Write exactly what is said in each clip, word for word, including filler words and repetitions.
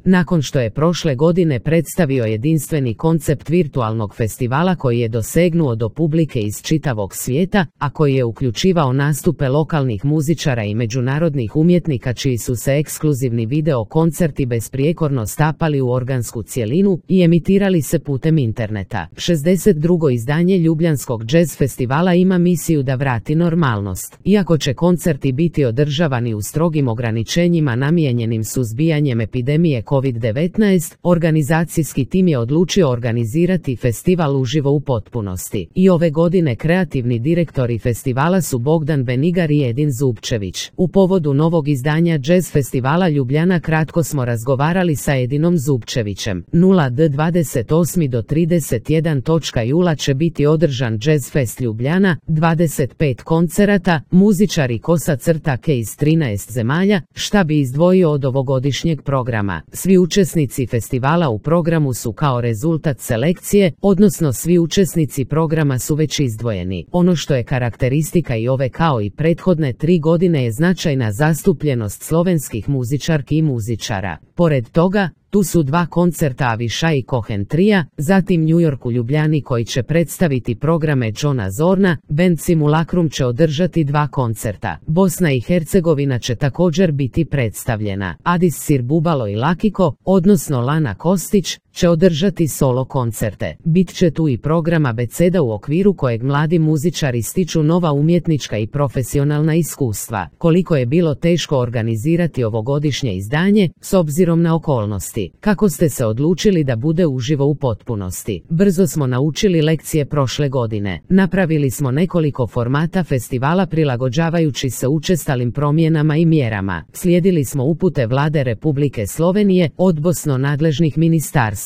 Nakon što je prošle godine predstavio jedinstveni koncept virtualnog festivala koji je dosegnuo do publike iz čitavog svijeta, a koji je uključivao nastupe lokalnih muzičara i međunarodnih umjetnika čiji su se ekskluzivni video koncerti besprijekorno stapali u organsku cjelinu i emitirali se putem interneta. šezdeset drugo izdanje Ljubljanskog jazz festivala ima misiju da vrati normalnost. Iako će koncerti biti održavani u strogim ograničenjima namijenjenim suzbijanjem epidemije kovid devetnaest, organizacijski tim je odlučio organizirati festival uživo u potpunosti. I ove godine kreativni direktori festivala su Bogdan Benigar i Edin Zubčević. U povodu novog izdanja Jazz festivala Ljubljana kratko smo razgovarali sa Edinom Zubčevićem. nula do dvadeset osmog do trideset prvog jula će biti održan Jazz Fest Ljubljana, dvadeset pet koncerata, muzičari kosa crta ke iz trinaest zemalja, šta bi izdvojio od ovogodišnjeg programa. Svi učesnici festivala u programu su kao rezultat selekcije, odnosno svi učesnici programa su već izdvojeni. Ono što je karakteristika i ove kao i prethodne tri godine je značajna zastupljenost slovenskih muzičarki i muzičara. Pored toga, tu su dva koncerta Aviša i Cohen Tria, zatim New York u Ljubljani koji će predstaviti programe Johna Zorna, band Simulacrum će održati dva koncerta. Bosna i Hercegovina će također biti predstavljena. Adis Sirbubalo i Lakiko, odnosno Lana Kostić, će održati solo koncerte. Bit će tu i program Abeceda u okviru kojeg mladi muzičari stiču nova umjetnička i profesionalna iskustva. Koliko je bilo teško organizirati ovogodišnje izdanje, s obzirom na okolnosti. Kako ste se odlučili da bude uživo u potpunosti? Brzo smo naučili lekcije prošle godine. Napravili smo nekoliko formata festivala prilagođavajući se učestalim promjenama i mjerama. Slijedili smo upute Vlade Republike Slovenije, odnosno nadležnih ministarstava.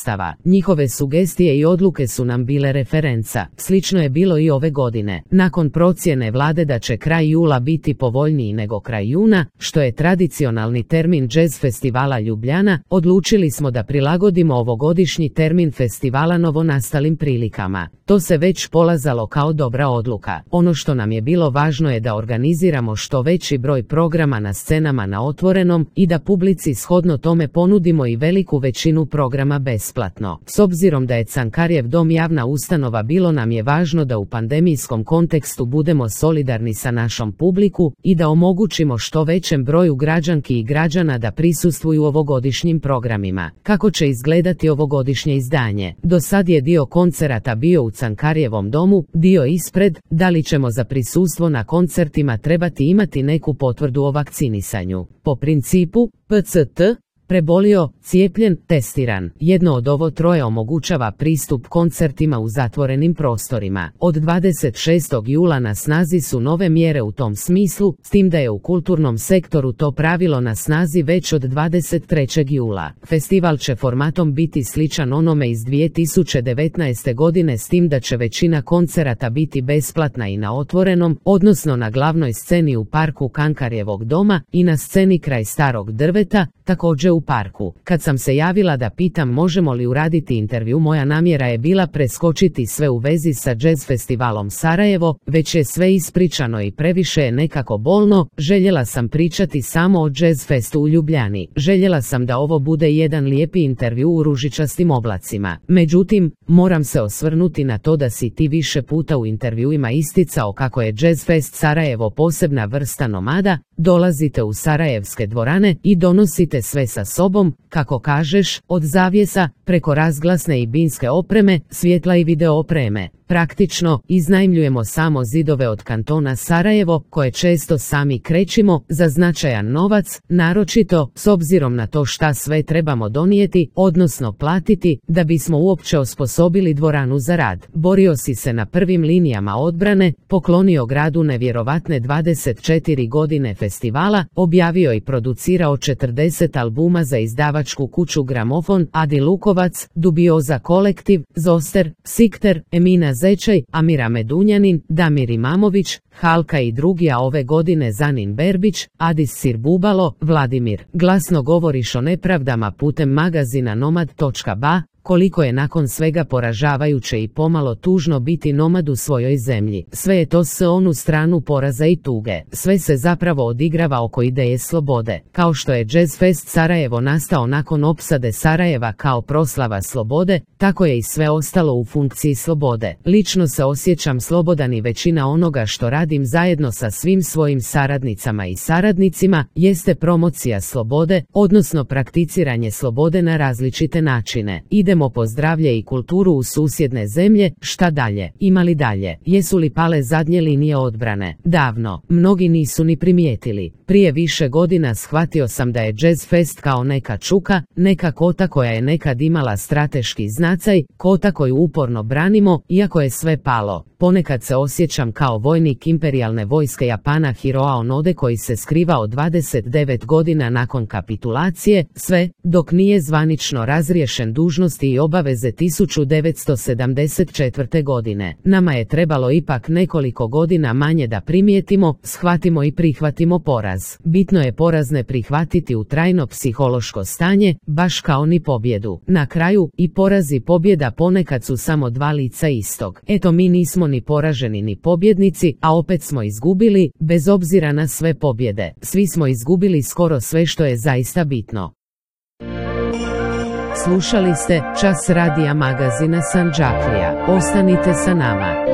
Njihove sugestije i odluke su nam bile referenca. Slično je bilo i ove godine. Nakon procjene Vlade da će kraj jula biti povoljniji nego kraj juna, što je tradicionalni termin Jazz festivala Ljubljana, odlučili smo da prilagodimo ovogodišnji termin festivala novonastalim prilikama. To se već polazalo kao dobra odluka. Ono što nam je bilo važno je da organiziramo što veći broj programa na scenama na otvorenom i da publici shodno tome ponudimo i veliku većinu programa besplatno. S obzirom da je Cankarjev dom javna ustanova, bilo nam je važno da u pandemijskom kontekstu budemo solidarni sa našom publiku i da omogućimo što većem broju građanki i građana da prisustvuju ovogodišnjim programima. Kako će izgledati ovogodišnje izdanje? Do sad je dio koncerata bio u Cankarjevom domu, dio ispred. Da li ćemo za prisustvo na koncertima trebati imati neku potvrdu o vakcinisanju? Po principu P C T, prebolio, cijepljen, testiran. Jedno od ovo troje omogućava pristup koncertima u zatvorenim prostorima. Od dvadeset šestog jula na snazi su nove mjere u tom smislu, s tim da je u kulturnom sektoru to pravilo na snazi već od dvadeset trećeg jula. Festival će formatom biti sličan onome iz dvije tisuće devetnaeste. godine, s tim da će većina koncerata biti besplatna i na otvorenom, odnosno na glavnoj sceni u parku Cankarjevog doma i na sceni kraj Starog drveta, također u parku. Kad sam se javila da pitam možemo li uraditi intervju, moja namjera je bila preskočiti sve u vezi sa Jazz festivalom Sarajevo, već je sve ispričano i previše je nekako bolno. Željela sam pričati samo o Jazz festu u Ljubljani. Željela sam da ovo bude jedan lijepi intervju u ružičastim oblacima. Međutim, moram se osvrnuti na to da si ti više puta u intervjuima isticao kako je Jazz Fest Sarajevo posebna vrsta nomada. Dolazite u sarajevske dvorane i donosite sve sa sobom, kako kažeš, od zavjesa, preko razglasne i binske opreme, svjetla i video opreme. Praktično, iznajmljujemo samo zidove od kantona Sarajevo, koje često sami krećimo, za značajan novac, naročito, s obzirom na to šta sve trebamo donijeti, odnosno platiti, da bismo uopće osposobili dvoranu za rad. Borio si se na prvim linijama odbrane, poklonio gradu nevjerovatne dvadeset četiri godine festivala, objavio i producirao četrdeset albuma za izdavačku kuću Gramofon, Adi Lukovac, Dubioza kolektiv, Zoster, Sikter, Emina Zečaj, Amira Medunjanin, Damir Imamović, Halka i drugi, a ove godine Zanin Berbić, Adis Sirbubalo, Vladimir. Glasno govoriš o nepravdama putem magazina nomad točka ba, koliko je nakon svega poražavajuće i pomalo tužno biti nomad u svojoj zemlji. Sve je to s onu stranu poraza i tuge. Sve se zapravo odigrava oko ideje slobode. Kao što je Jazz Fest Sarajevo nastao nakon opsade Sarajeva kao proslava slobode, tako je i sve ostalo u funkciji slobode. Lično se osjećam slobodan i većina onoga što radim zajedno sa svim svojim saradnicama i saradnicima jeste promocija slobode, odnosno prakticiranje slobode na različite načine. Idemo po zdravlje i kulturu u susjedne zemlje, šta dalje? Ima li dalje? Jesu li pale zadnje linije odbrane? Davno. Mnogi nisu ni primijetili. Prije više godina shvatio sam da je Jazz Fest kao neka čuka, neka kota koja je nekad imala strateški znacaj, kota koju uporno branimo, iako je sve palo. Ponekad se osjećam kao vojnik imperijalne vojske Japana Hiroa Onode koji se skrivao dvadeset devet godina nakon kapitulacije, sve dok nije zvanično razriješen dužnosti i obaveze tisuću devetsto sedamdeset četvrte. godine. Nama je trebalo ipak nekoliko godina manje da primijetimo, shvatimo i prihvatimo poraz. Bitno je poraz ne prihvatiti u trajno psihološko stanje, baš kao ni pobjedu. Na kraju, i poraz i pobjeda ponekad su samo dva lica istog. Eto, mi nismo ni poraženi ni pobjednici, a opet smo izgubili, bez obzira na sve pobjede. Svi smo izgubili skoro sve što je zaista bitno. Slušali ste Čas radija magazina Sandžaklija. Ostanite sa nama.